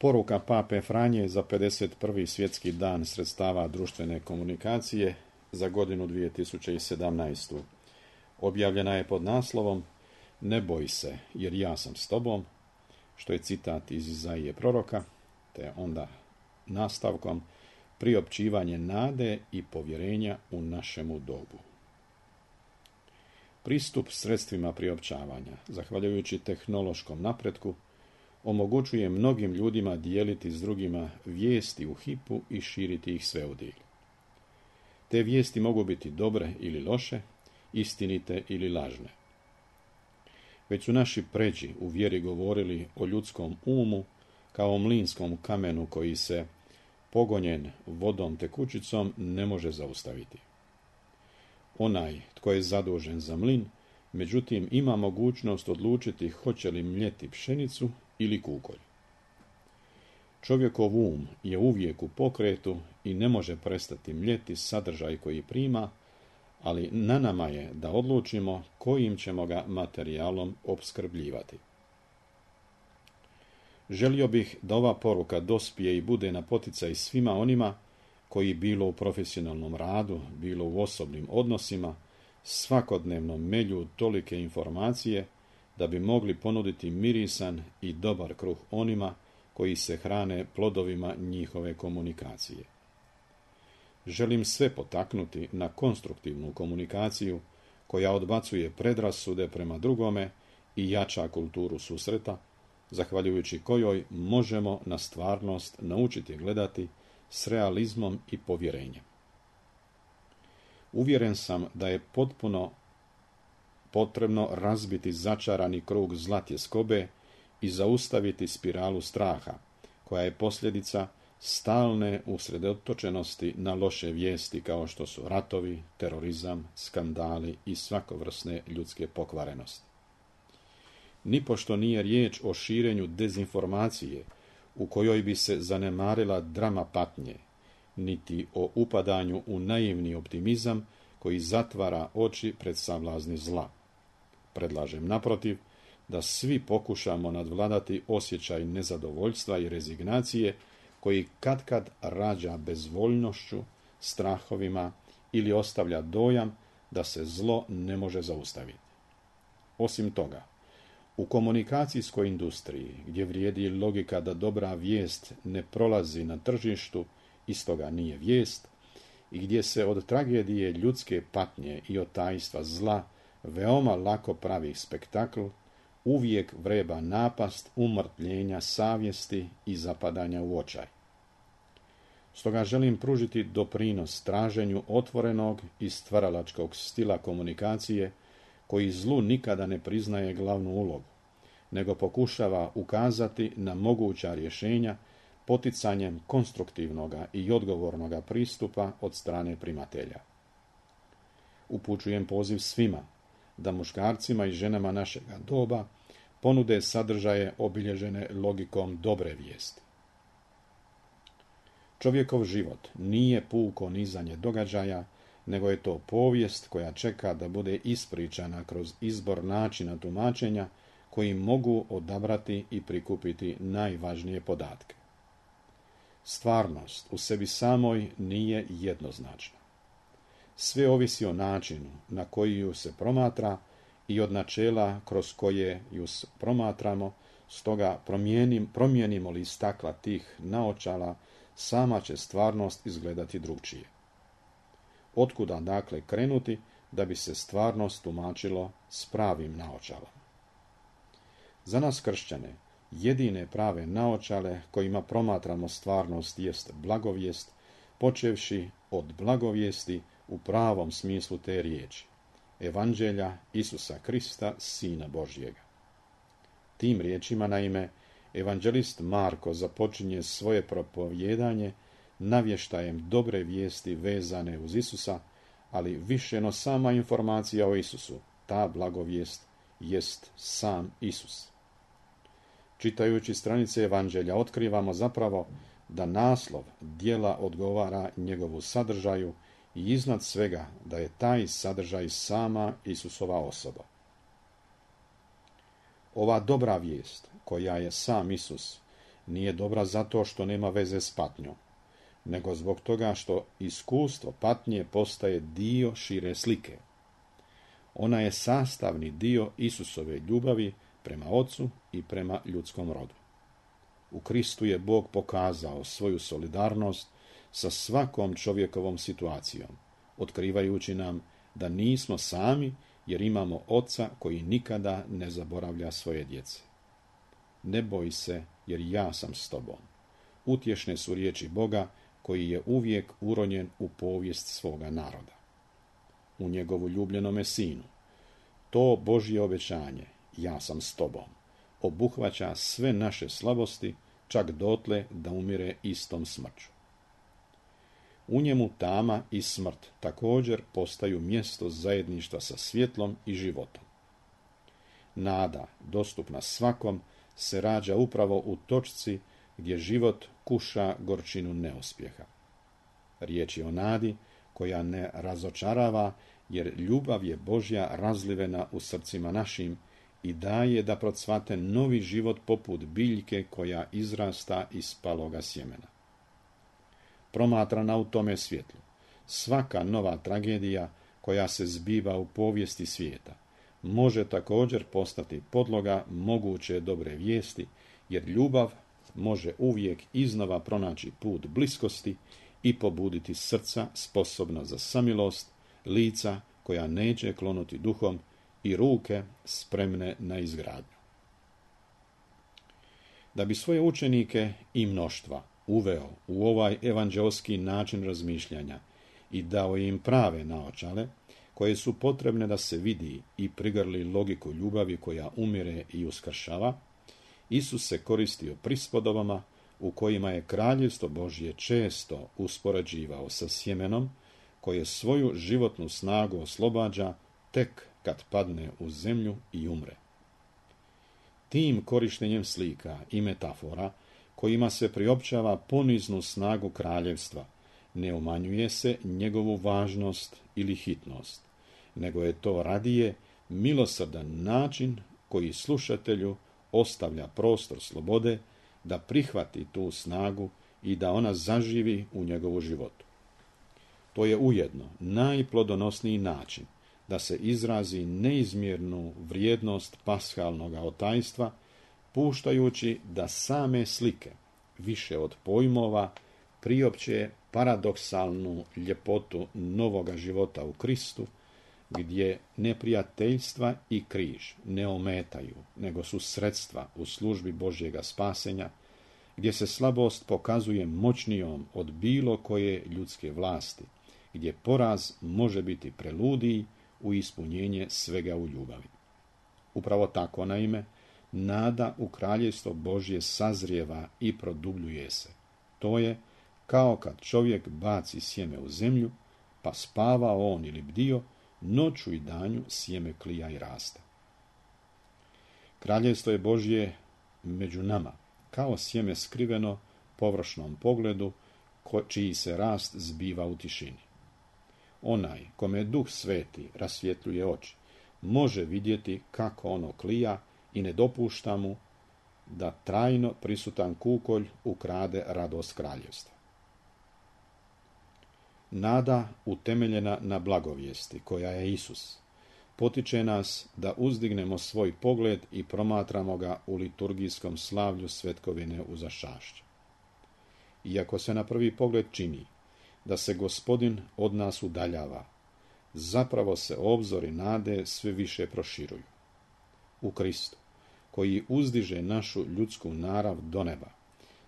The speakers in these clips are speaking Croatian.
Poruka Pape Franje za 51. svjetski dan sredstava društvene komunikacije za godinu 2017. Objavljena je pod naslovom Ne boj se, jer ja sam s tobom, što je citat iz Izaije proroka, te onda nastavkom priopćivanje nade i povjerenja u našemu dobu. Pristup sredstvima priopćavanja, zahvaljujući tehnološkom napretku, omogućuje mnogim ljudima dijeliti s drugima vijesti u hipu i širiti ih sveudilj. Te vijesti mogu biti dobre ili loše, istinite ili lažne. Već su naši pređi u vjeri govorili o ljudskom umu kao o mlinskom kamenu koji se, pogonjen vodom tekućicom, ne može zaustaviti. Onaj tko je zadužen za mlin, međutim, ima mogućnost odlučiti hoće li mljeti pšenicu ili kukolj. Čovjekov um je uvijek u pokretu i ne može prestati mljeti sadržaj koji prima, ali na nama je da odlučimo kojim ćemo ga materijalom opskrbljivati. Želio bih da ova poruka dospije i bude na poticaj svima onima koji bilo u profesionalnom radu, bilo u osobnim odnosima, svakodnevno melju tolike informacije da bi mogli ponuditi mirisan i dobar kruh onima koji se hrane plodovima njihove komunikacije. Želim sve potaknuti na konstruktivnu komunikaciju koja odbacuje predrasude prema drugome i jača kulturu susreta, zahvaljujući kojoj možemo na stvarnost naučiti gledati s realizmom i povjerenjem. Uvjeren sam da je potpuno potrebno razbiti začarani krug zlatjeskobe i zaustaviti spiralu straha, koja je posljedica stalne usredotočenosti na loše vijesti kao što su ratovi, terorizam, skandali i svakovrsne ljudske pokvarenosti. Nipošto nije riječ o širenju dezinformacije u kojoj bi se zanemarila drama patnje, niti o upadanju u naivni optimizam koji zatvara oči pred savlazni zla. Predlažem naprotiv da svi pokušamo nadvladati osjećaj nezadovoljstva i rezignacije koji katkad rađa bezvoljnošću, strahovima ili ostavlja dojam da se zlo ne može zaustaviti. Osim toga, u komunikacijskoj industriji, gdje vrijedi logika da dobra vijest ne prolazi na tržištu i stoga nije vijest, i gdje se od tragedije ljudske patnje i od tajstva zla veoma lako pravi spektakl, uvijek vreba napast umrtljenja savjesti i zapadanja u očaj. Stoga želim pružiti doprinos traženju otvorenog i stvaralačkog stila komunikacije koji zlu nikada ne priznaje glavnu ulogu, nego pokušava ukazati na moguća rješenja poticanjem konstruktivnoga i odgovornoga pristupa od strane primatelja. Upućujem poziv svima da muškarcima i ženama našega doba ponude sadržaje obilježene logikom dobre vijesti. Čovjekov život nije puko nizanje događaja, nego je to povijest koja čeka da bude ispričana kroz izbor načina tumačenja koji mogu odabrati i prikupiti najvažnije podatke. Stvarnost u sebi samoj nije jednoznačna. Sve ovisi o načinu na koji ju se promatra i od načela kroz koje ju promatramo, stoga promijenimo li stakla tih naočala, sama će stvarnost izgledati drugčije. Otkuda dakle krenuti da bi se stvarnost tumačilo s pravim naočalama? Za nas kršćane, jedine prave naočale kojima promatramo stvarnost jest blagovijest, počevši od blagovijesti u pravom smislu te riječi, Evanđelja Isusa Krista, Sina Božjega. Tim riječima, naime, evanđelist Marko započinje svoje propovijedanje navještajem dobre vijesti vezane uz Isusa, ali više no sama informacija o Isusu, ta blagovijest jest sam Isus. Čitajući stranice Evanđelja otkrivamo zapravo da naslov djela odgovara njegovu sadržaju i iznad svega da je taj sadržaj sama Isusova osoba. Ova dobra vijest, koja je sam Isus, Nije dobra zato što nema veze s patnjom, nego zbog toga što iskustvo patnje postaje dio šire slike. Ona je sastavni dio Isusove ljubavi prema Ocu i prema ljudskom rodu. U Kristu je Bog pokazao svoju solidarnost sa svakom čovjekovom situacijom, otkrivajući nam da nismo sami jer imamo Oca koji nikada ne zaboravlja svoje djece. Ne boj se jer ja sam s tobom. Utješne su riječi Boga koji je uvijek uronjen u povijest svoga naroda. U njegovu ljubljenome sinu. To Božje obećanje, ja sam s tobom, obuhvaća sve naše slabosti, čak dotle da umire istom smrću. U njemu tama i smrt također postaju mjesto zajedništva sa svjetlom i životom. Nada, dostupna svakom, se rađa upravo u točci gdje život kuša gorčinu neuspjeha. Riječ je o nadi koja ne razočarava, jer ljubav je Božja razlivena u srcima našim i daje da procvate novi život poput biljke koja izrasta iz paloga sjemena. Promatrana u tome svjetlu, svaka nova tragedija koja se zbiva u povijesti svijeta može također postati podloga moguće dobre vijesti, jer ljubav može uvijek iznova pronaći put bliskosti i pobuditi srca sposobna za samilost, lica koja neće klonuti duhom i ruke spremne na izgradnju. Da bi svoje učenike i mnoštva uveo u ovaj evanđelski način razmišljanja i dao im prave naočale, koje su potrebne da se vidi i prigrli logiku ljubavi koja umire i uskršava, Isus se koristio prispodobama u kojima je kraljevstvo Božje često uspoređivao sa sjemenom koje svoju životnu snagu oslobađa tek kad padne u zemlju i umre. Tim korištenjem slika i metafora kojima se priopćava poniznu snagu kraljevstva, ne umanjuje se njegovu važnost ili hitnost, nego je to radije milosrdan način koji slušatelju ostavlja prostor slobode da prihvati tu snagu i da ona zaživi u njegovu životu. To je ujedno najplodonosniji način da se izrazi neizmjernu vrijednost pashalnog otajstva, puštajući da same slike, više od pojmova, priopće paradoksalnu ljepotu novoga života u Kristu, gdje neprijateljstva i križ ne ometaju, nego su sredstva u službi Božjega spasenja, gdje se slabost pokazuje moćnijom od bilo koje ljudske vlasti, gdje poraz može biti preludiji u ispunjenje svega u ljubavi. Upravo tako, naime, nada u kraljevstvo Božje sazrijeva i produbljuje se. To je kao kad čovjek baci sjeme u zemlju, pa spava on ili bdio, noću i danju sjeme klija i raste. Kraljevstvo je Božje među nama, kao sjeme skriveno površnom pogledu, čiji se rast zbiva u tišini. Onaj kome Duh Sveti rasvjetljuje oči, može vidjeti kako ono klija i ne dopušta mu da trajno prisutan kukolj ukrade radost kraljevstva. Nada utemeljena na blagovijesti, koja je Isus, potiče nas da uzdignemo svoj pogled i promatramo ga u liturgijskom slavlju svetkovine uzašćašća. Iako se na prvi pogled čini da se Gospodin od nas udaljava, zapravo se obzori nade sve više proširuju. U Kristu, koji uzdiže našu ljudsku narav do neba,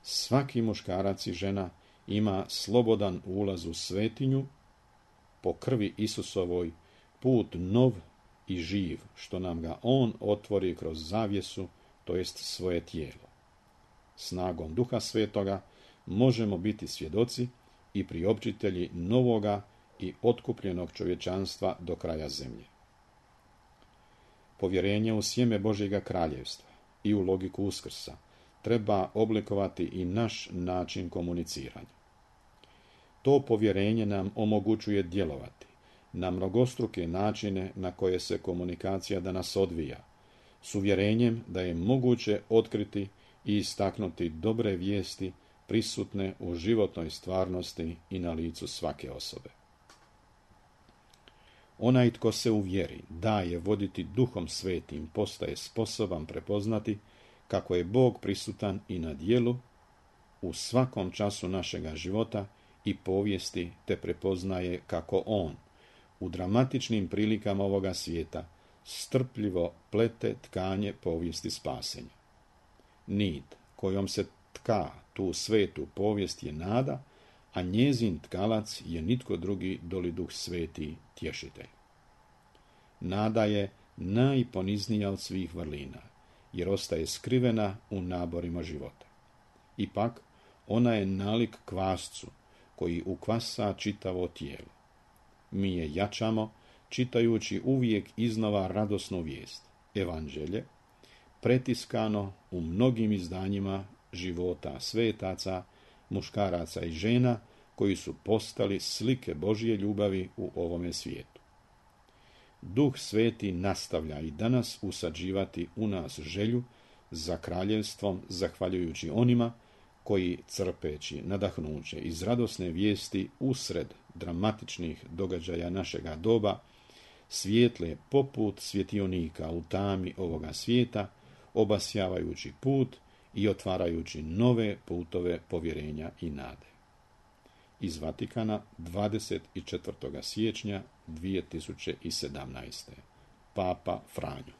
svaki muškarac i žena ima slobodan ulaz u svetinju, po krvi Isusovoj, put nov i živ, što nam ga on otvori kroz zavjesu, to jest svoje tijelo. Snagom Duha Svetoga možemo biti svjedoci i priopćitelji novoga i otkupljenog čovječanstva do kraja zemlje. Povjerenje u sjeme Božjega kraljevstva i u logiku uskrsa treba oblikovati i naš način komuniciranja. To povjerenje nam omogućuje djelovati na mnogostruke načine na koje se komunikacija danas odvija, s uvjerenjem da je moguće otkriti i istaknuti dobre vijesti prisutne u životnoj stvarnosti i na licu svake osobe. Onaj tko se u vjeri daje voditi Duhom Svetim postaje sposoban prepoznati kako je Bog prisutan i na djelu u svakom času našega života i povijesti, te prepoznaje kako On u dramatičnim prilikama ovoga svijeta strpljivo plete tkanje povijesti spasenja. Nit kojom se tka tu svetu povijest je nada, a njezin tkalac je nitko drugi doli Duh Sveti tješitelj. Nada je najponiznija od svih vrlina, jer ostaje skrivena u naborima života. Ipak, ona je nalik kvascu, koji ukvasa čitavo tijelo. Mi je jačamo, čitajući uvijek iznova radosnu vijest, evanđelje, pretiskano u mnogim izdanjima života svetaca, muškaraca i žena, koji su postali slike Božje ljubavi u ovome svijetu. Duh Sveti nastavlja i danas usađivati u nas želju za kraljevstvom, zahvaljujući onima koji, crpeći nadahnuće iz radosne vijesti usred dramatičnih događaja našega doba, svijetle poput svjetionika u tami ovoga svijeta, obasjavajući put i otvarajući nove putove povjerenja i nade. Iz Vatikana 24. siječnja 2017. Papa Franjo.